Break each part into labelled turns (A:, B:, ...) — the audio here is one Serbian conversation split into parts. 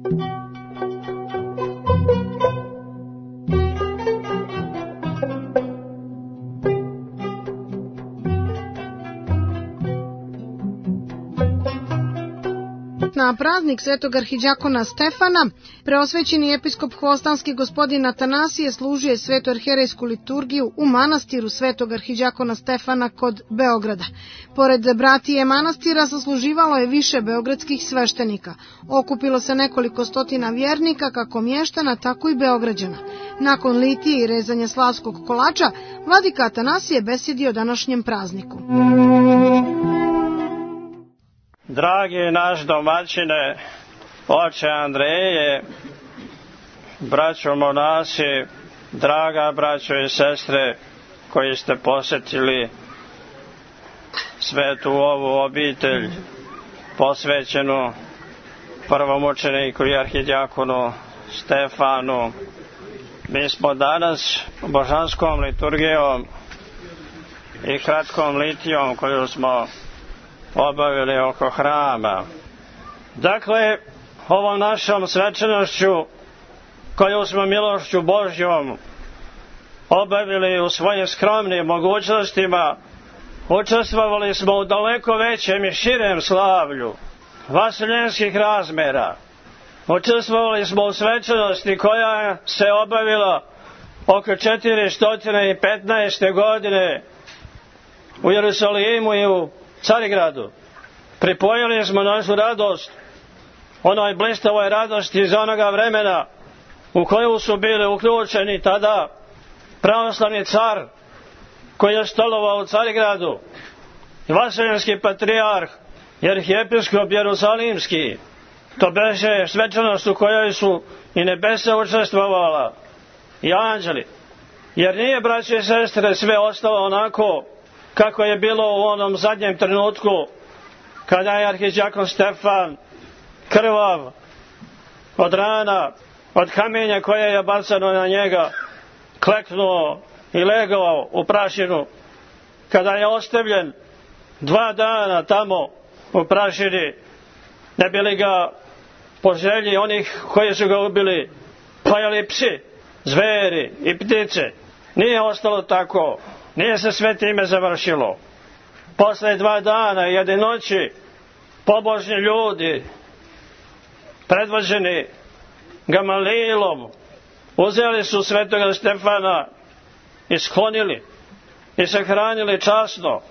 A: Na praznik svetog arhidjakona Stefana, preosvećeni episkop hvostanski gospodin Atanasije služio svetu arherejsku liturgiju u manastiru svetog arhidjakona Stefana kod Beograda. Pored bratije manastira sasluživalo je više beogradskih sveštenika. Okupilo se nekoliko stotina vjernika, kako mještana, tako i Beograđana. Nakon litije i rezanja slavskog kolača, vladika Atanasije besjedio o današnjem prazniku.
B: Dragi naš domaćine, oče Andreje, braćo monasi, draga braćo i sestre koji ste posjetili svetu ovu obitelj posvećenu prvomučeniku i arhidjakonu Stefanu, mi smo danas božanskom liturgijom i kratkom litijom koju smo obavili oko hrama. Dakle, ovom našom svečanošću koju smo milošću Božjom obavili u svojim skromnim mogućnostima, učestvovali smo u daleko većem i širem slavlju vaseljenskih razmera. Učestvovali smo u svečanosti koja se obavila oko 415. godine u Jerusalimu i u Carigradu. Pripojili smo našu radost onoj blistavoj radosti iz onoga vremena u koju su bili uključeni tada pravoslavni car koji je stolovao u Carigradu, vaseljenski patrijarh i arhijepiskop Jerusalimski. To beše svečanost u kojoj su i nebesa učestvovala i anđeli. Jer nije, braće i sestre, sve ostalo onako kako je bilo u onom zadnjem trenutku kada je arhidjakon Stefan krvav od rana, od kamenja koje je bacano na njega, kleknuo i legao u prašinu, kada je ostavljen 2 dana tamo u prašini, ne bi li ga po želji onih koji su ga ubili pojeli psi, zveri i ptice. Nije ostalo tako, nije se sve time završilo. Posle 2 dana i 1 noći pobožni ljudi predvođeni Gamalilom uzeli su svetoga Stefana i sklonili i sahranili časno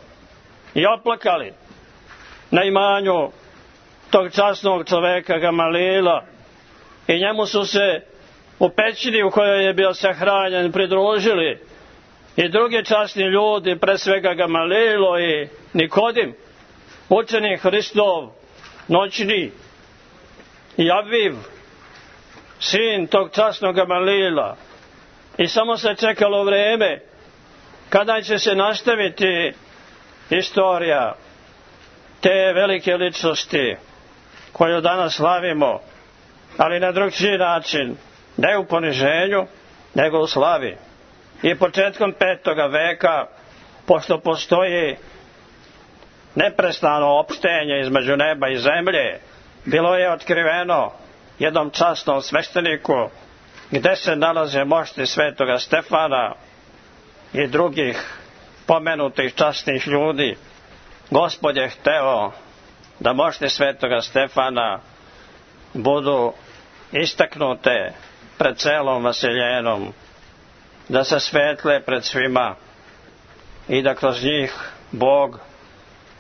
B: i oplakali na imanju tog časnog čoveka Gamalila, i njemu su se u pećini u kojoj je bio sahranjen pridružili i drugi časni ljudi, pre svega Gamalilo i Nikodim, učenik Hristov noćni, i Aviv, sin tog časnog Gamalila. I samo se čekalo vreme kada će se nastaviti istorija te velike ličnosti koju danas slavimo, ali na drugčiji način, ne u poniženju, nego u slavi. I početkom 5. veka, pošto postoji neprestano opštenje između neba i zemlje, bilo je otkriveno jednom časnom svešteniku gde se nalaze mošti svetoga Stefana i drugih pomenutih časnih ljudi. Gospod je hteo da mošti svetoga Stefana budu istaknute pred celom vaseljenom, da se svetle pred svima i da kroz njih Bog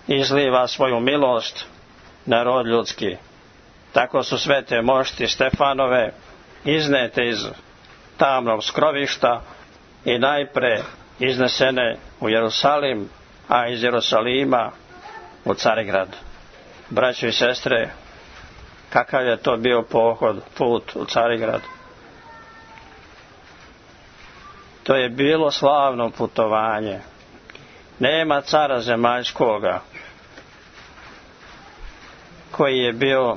B: izliva svoju milost na rod ljudski. Tako su svete mošti Stefanove iznete iz tamnog skrovišta i najpre iznesene u Jerusalim, a iz Jerusalima u Carigrad. Braćo i sestre, kakav je to bio put u Carigrad? To je bilo slavno putovanje. Nema cara zemaljskoga koji je bio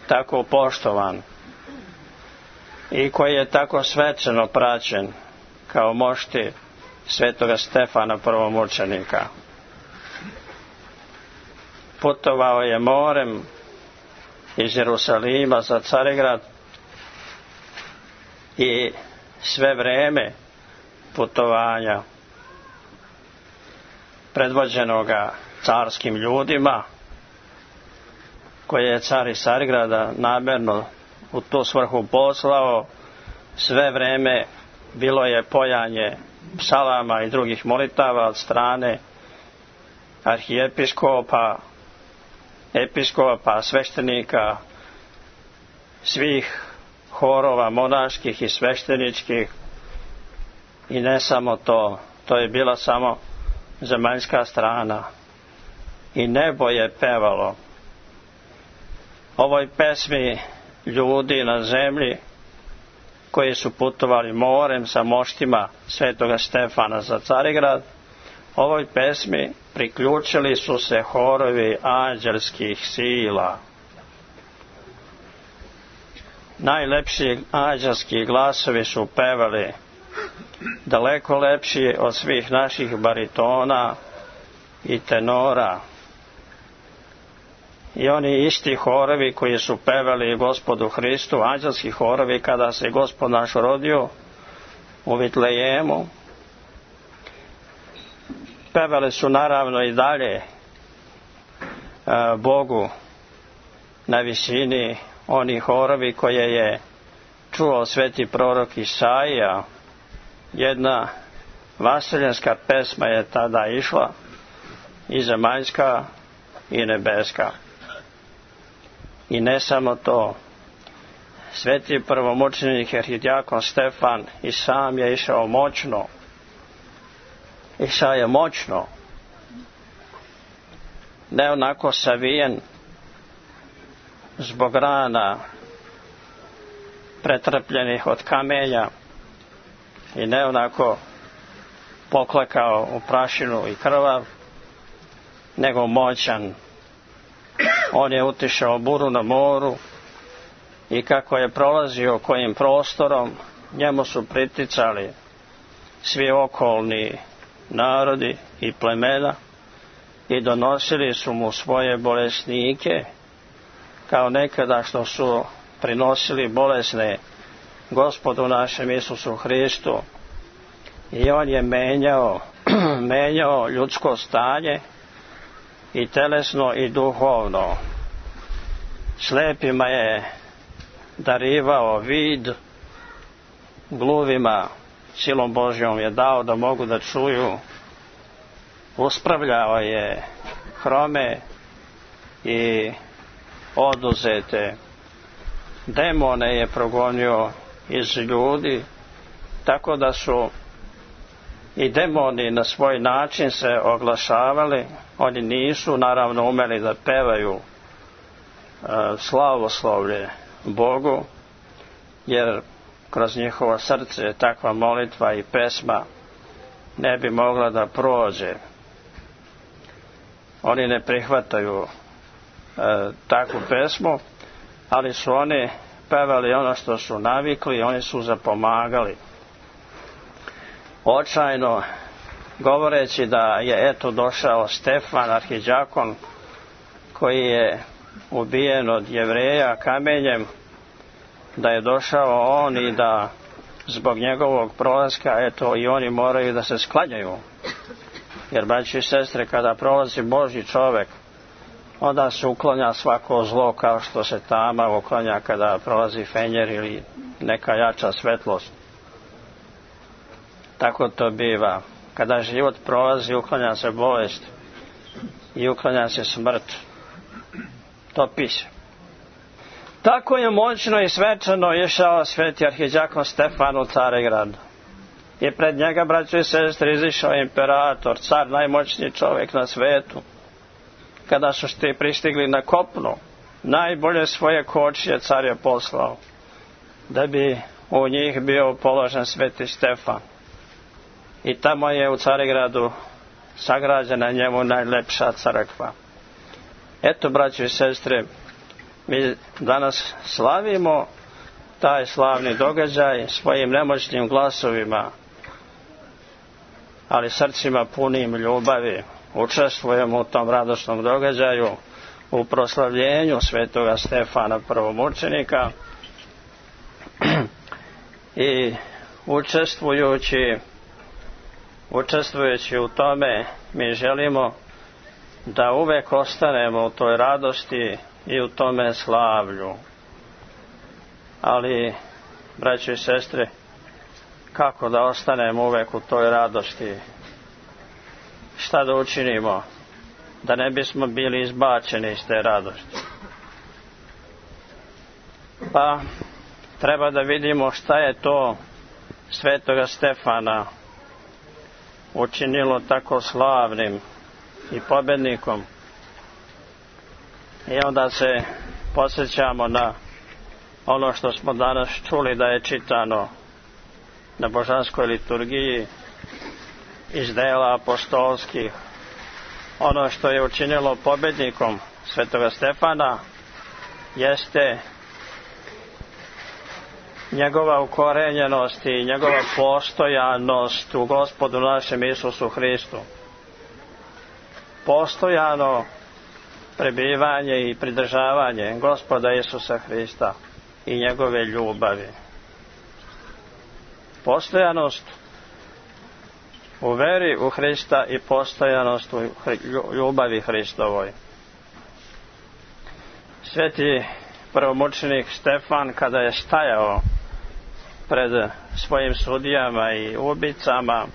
B: tako poštovan i koji je tako svečano praćen kao mošti svetoga Stefana prvomučenika. Putovao je morem iz Jerusalima za Carigrad i sve vreme putovanja predvođenoga carskim ljudima koje je car iz Carigrada namerno u tu svrhu poslao, sve vreme bilo je pojanje psalama i drugih molitava od strane arhijepiskopa, episkopa, sveštenika, svih horova monaških i svešteničkih. I ne samo to, to je bila samo zemaljska strana. I nebo je pevalo ovoj pesmi ljudi na zemlji koji su putovali morem sa moštima svetoga Stefana za Carigrad. Ovoj pesmi priključili su se horovi anđelskih sila. Najlepši anđelski glasovi su pevali, daleko lepši od svih naših baritona i tenora. I oni isti horovi koji su pevali Gospodu Hristu, anđelski horovi kada se Gospod naš rodio u Vitlejemu, pevali su naravno i dalje Bogu na visini, oni horovi koje je čuo sveti prorok Isaija. Jedna vaseljenska pesma je tada išla, i zemaljska i nebeska. I ne samo to, sveti prvomučenik arhidjakon Stefan i sam je išao moćno. Išao je moćno, ne onako savijen zbog rana pretrpljenih od kamenja i ne onako poklekao u prašinu i krvav, nego moćan. On je utišao buru na moru i kako je prolazio kojim prostorom, njemu su priticali svi okolni narodi i plemena i donosili su mu svoje bolesnike, kao nekada što su prinosili bolesne Gospodu našem Isusu Hristu. I on je menjao ljudsko stanje i telesno i duhovno. Slepima je darivao vid, gluvima silom Božjom je dao da mogu da čuju, uspravljao je hrome i oduzete demone je progonio iz ljudi, tako da su i demoni na svoj način se oglašavali. Oni nisu naravno umeli da pevaju slavoslovlje Bogu, jer kroz njihovo srce takva molitva i pesma ne bi mogla da prođe. Oni ne prihvataju takvu pesmu, ali su oni pevali ono što su navikli, oni su zapomagali. Očajno govoreći da je eto došao Stefan arhidjakon koji je ubijen od Jevreja kamenjem, da je došao on i da zbog njegovog prolaska eto i oni moraju da se sklanjaju. Jer, braći i sestre, kada prolazi Božji čovek, onda se uklanja svako zlo kao što se tama uklanja kada prolazi fenjer ili neka jača svetlost. Tako to biva. Kada život prolazi, uklanja se bolest i uklanja se smrt. Topi se. Tako je moćno i svečano išao sveti arhidjakon Stefan u Carigrad. I pred njega, braćo i sestre, izišao imperator, car, najmoćniji čovjek na svetu. Kada su pristigli na kopno, najbolje svoje kočije car je poslao, da bi u njih bio položen sveti Stefan. I tamo je u Carigradu sagrađena njemu najlepša crkva. Eto, braćo i sestre, mi danas slavimo taj slavni događaj svojim nemoćnim glasovima, ali srcima punim ljubavi. Učestvujemo u tom radosnom događaju u proslavljenju svetoga Stefana prvomučenika i učestvujući u tome mi želimo da uvek ostanemo u toj radosti i u tome slavlju. Ali, braćo i sestre, kako da ostanemo uvek u toj radosti? Šta da učinimo da ne bismo bili izbačeni iz te radosti? Pa treba da vidimo šta je to svetoga Stefana učinilo tako slavnim i pobednikom. I onda se podsjećamo na ono što smo danas čuli da je čitano na božanskoj liturgiji iz dela apostolskih. Ono što je učinilo pobednikom svetoga Stefana jeste njegova ukorenjenost i njegova postojanost u Gospodu našem Isusu Hristu. Postojano prebivanje i pridržavanje Gospoda Isusa Hrista i njegove ljubavi. Postojanost u veri u Hrista i postojanost u ljubavi Hristovoj. Sveti prvomučenik Stefan, kada je stajao pred svojim sudijama i ubicama,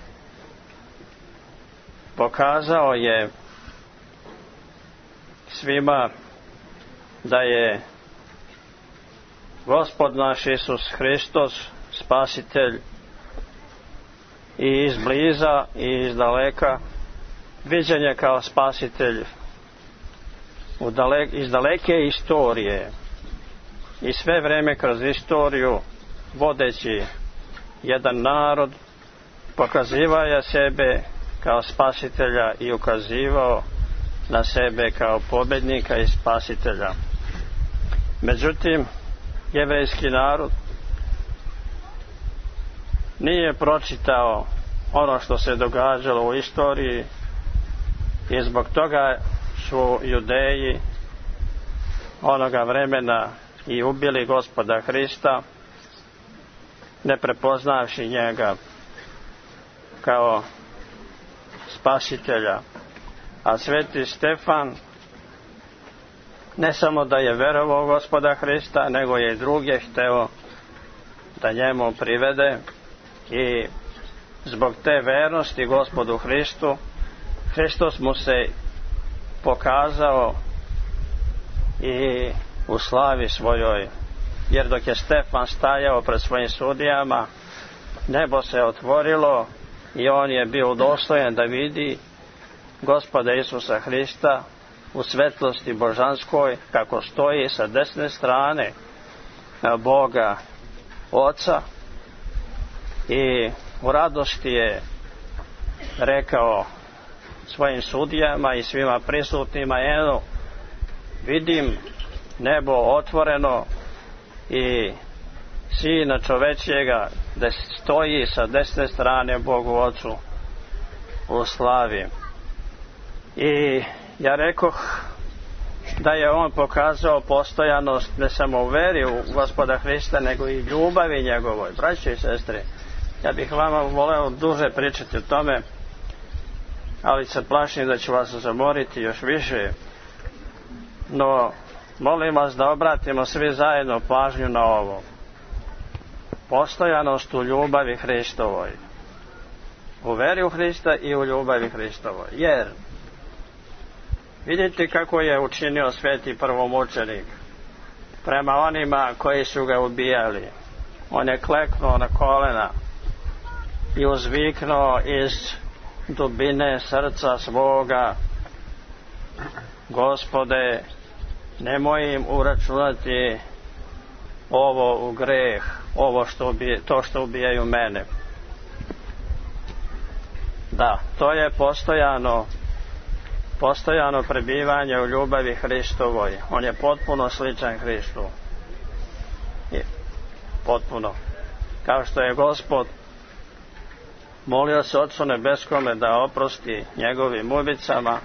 B: pokazao je svima da je Gospod naš Isus Hristos spasitelj i izbliza i izdaleka, viđen je kao spasitelj iz daleke istorije i sve vreme kroz istoriju vodeći jedan narod, pokazivao je sebe kao spasitelja i ukazivao na sebe kao pobednika i spasitelja. Međutim, jevrejski narod nije pročitao ono što se događalo u istoriji i zbog toga su Judeji onoga vremena i ubili Gospoda Hrista, ne prepoznavši njega kao spasitelja. A sveti Stefan ne samo da je verovao Gospoda Hrista, nego je i druge hteo da njemu privede i zbog te vernosti Gospodu Hristu, Hristos mu se pokazao i u slavi svojoj, jer dok je Stefan stajao pred svojim sudijama, nebo se otvorilo i on je bio udostojen da vidi Gospoda Isusa Hrista u svetlosti božanskoj, kako stoji sa desne strane Boga Oca, i u radosti je rekao svojim sudijama i svima prisutnima: eno, vidim nebo otvoreno i Sina čovečjega da stoji sa desne strane Bogu Ocu u slavi. I ja rekoh da je on pokazao postojanost ne samo u veri u Gospoda Hrista, nego i ljubavi njegovoj. Braćo i sestre, ja bih vama voleo duže pričati o tome, ali se plašim da ću vas zamoriti još više. No, molim vas da obratimo svi zajedno pažnju na ovo. Postojanost u ljubavi Hristovoj. U veri u Hrista i u ljubavi Hristovoj. Jer vidite kako je učinio sveti prvomučenik prema onima koji su ga ubijali. On je kleknuo na kolena i uzviknuo iz dubine srca svoga: Gospode, nemoj im uračunati ovo u greh, to što ubijaju mene. Da, to je postojano prebivanje u ljubavi Hristovoj. On je potpuno sličan Hristu. Potpuno. Kao što je Gospod molio se Otcu nebeskome da oprosti njegovim ubicama,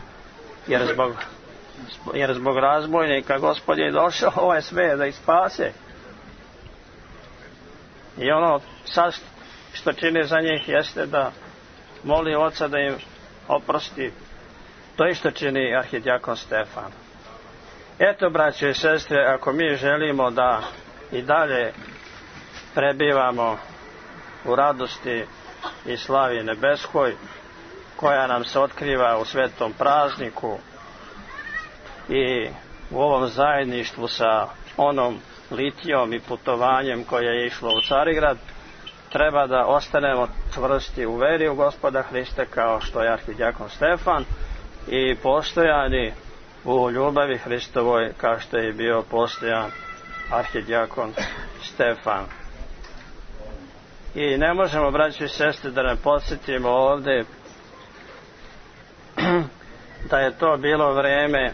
B: jer zbog jer zbog razbojnika Gospod je došao ovaj svijet da ih spase. I ono sad što čini za njih jeste da moli Oca da im oprosti. To isto čini arhidjakon Stefan. Eto, braće i sestre, ako mi želimo da i dalje prebivamo u radosti i slavi nebeskoj, koja nam se otkriva u svetom prazniku i u ovom zajedništvu sa onom litijom i putovanjem koje je išlo u Carigrad, treba da ostanemo čvrsti u veri u Gospoda Hrista kao što je arhidjakon Stefan i postojani u ljubavi Hristovoj kao što je bio postojan arhidjakon Stefan. I ne možemo, braći i sestre, da ne podsjetimo ovdje da je to bilo vreme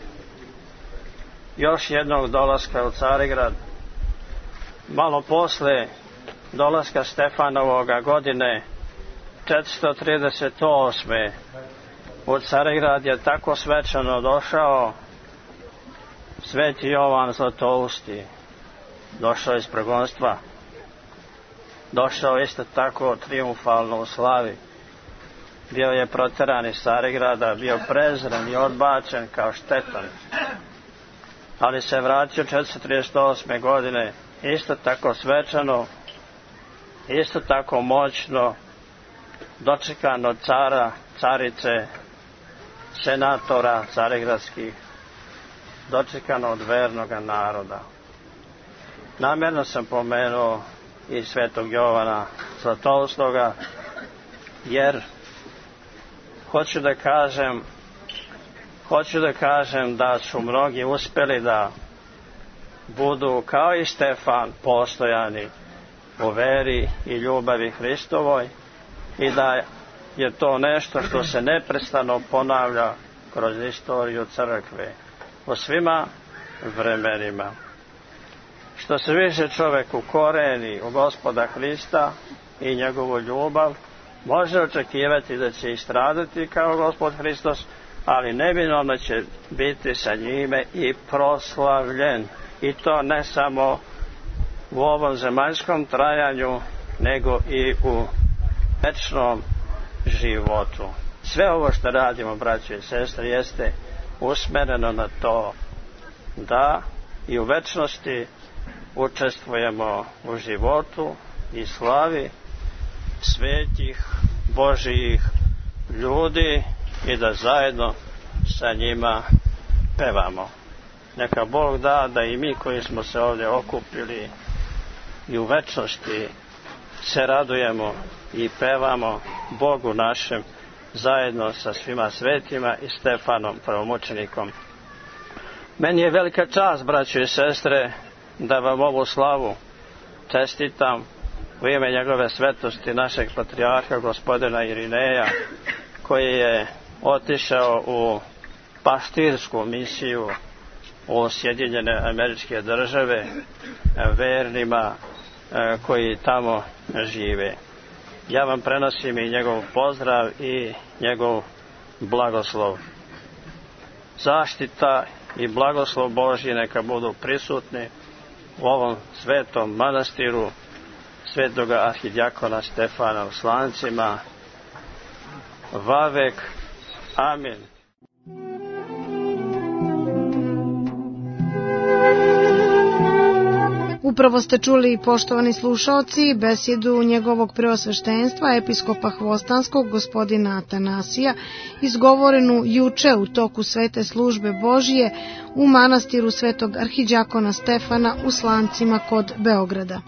B: još jednog dolaska u Carigrad. Malo posle dolaska Stefanovoga godine 438. u Carigrad je tako svečano došao Sveti Jovan Zlatousti. Došao iz progonstva. Došao isto tako triumfalno u slavi. Bio je proteran iz Carigrada, bio prezren i odbačen kao štetan. Ali se vratio 438. godine isto tako svečano, isto tako moćno, dočekan od cara, carice, senatora carigradskih, dočekan od vernoga naroda. Namjerno sam pomenuo i svetog Jovana Zlatoustoga, jer hoću da kažem da su mnogi uspjeli da budu kao i Stefan postojani u veri i ljubavi Hristovoj i da je to nešto što se neprestano ponavlja kroz istoriju crkve u svima vremenima. Što se više čovjek ukoreni u Gospoda Hrista i njegovu ljubav, može očekivati da će istradati kao Gospod Hristos, ali neminovno će biti sa njime i proslavljen. I to ne samo u ovom zemaljskom trajanju, nego i u večnom životu. Sve ovo što radimo, braće i sestre, jeste usmjereno na to da i u večnosti učestvujemo u životu i slavi svetih Božijih ljudi i da zajedno sa njima pevamo. Neka Bog da da i mi koji smo se ovdje okupili i u večnosti se radujemo i pevamo Bogu našem zajedno sa svima svetima i Stefanom prvomučenikom. Meni je velika čast, braćo i sestre, da vam ovu slavu čestitam u ime njegove svetosti našeg patrijarha gospodina Irineja, koji je otišao u paštirsku misiju u Sjedinjene Američke Države vernima koji tamo žive. Ja vam prenosim i njegov pozdrav i njegov blagoslov. Zaštita i blagoslov Božji neka budu prisutni u ovom svetom manastiru svetoga arhidjakona Stefana u Slancima. Vavek. Amin.
A: Upravo ste čuli, poštovani slušaoci, besjedu njegovog preosveštenstva, episkopa Hvostanskog, gospodina Atanasija, izgovorenu juče u toku svete službe Božije u manastiru svetog arhidjakona Stefana u Slancima kod Beograda.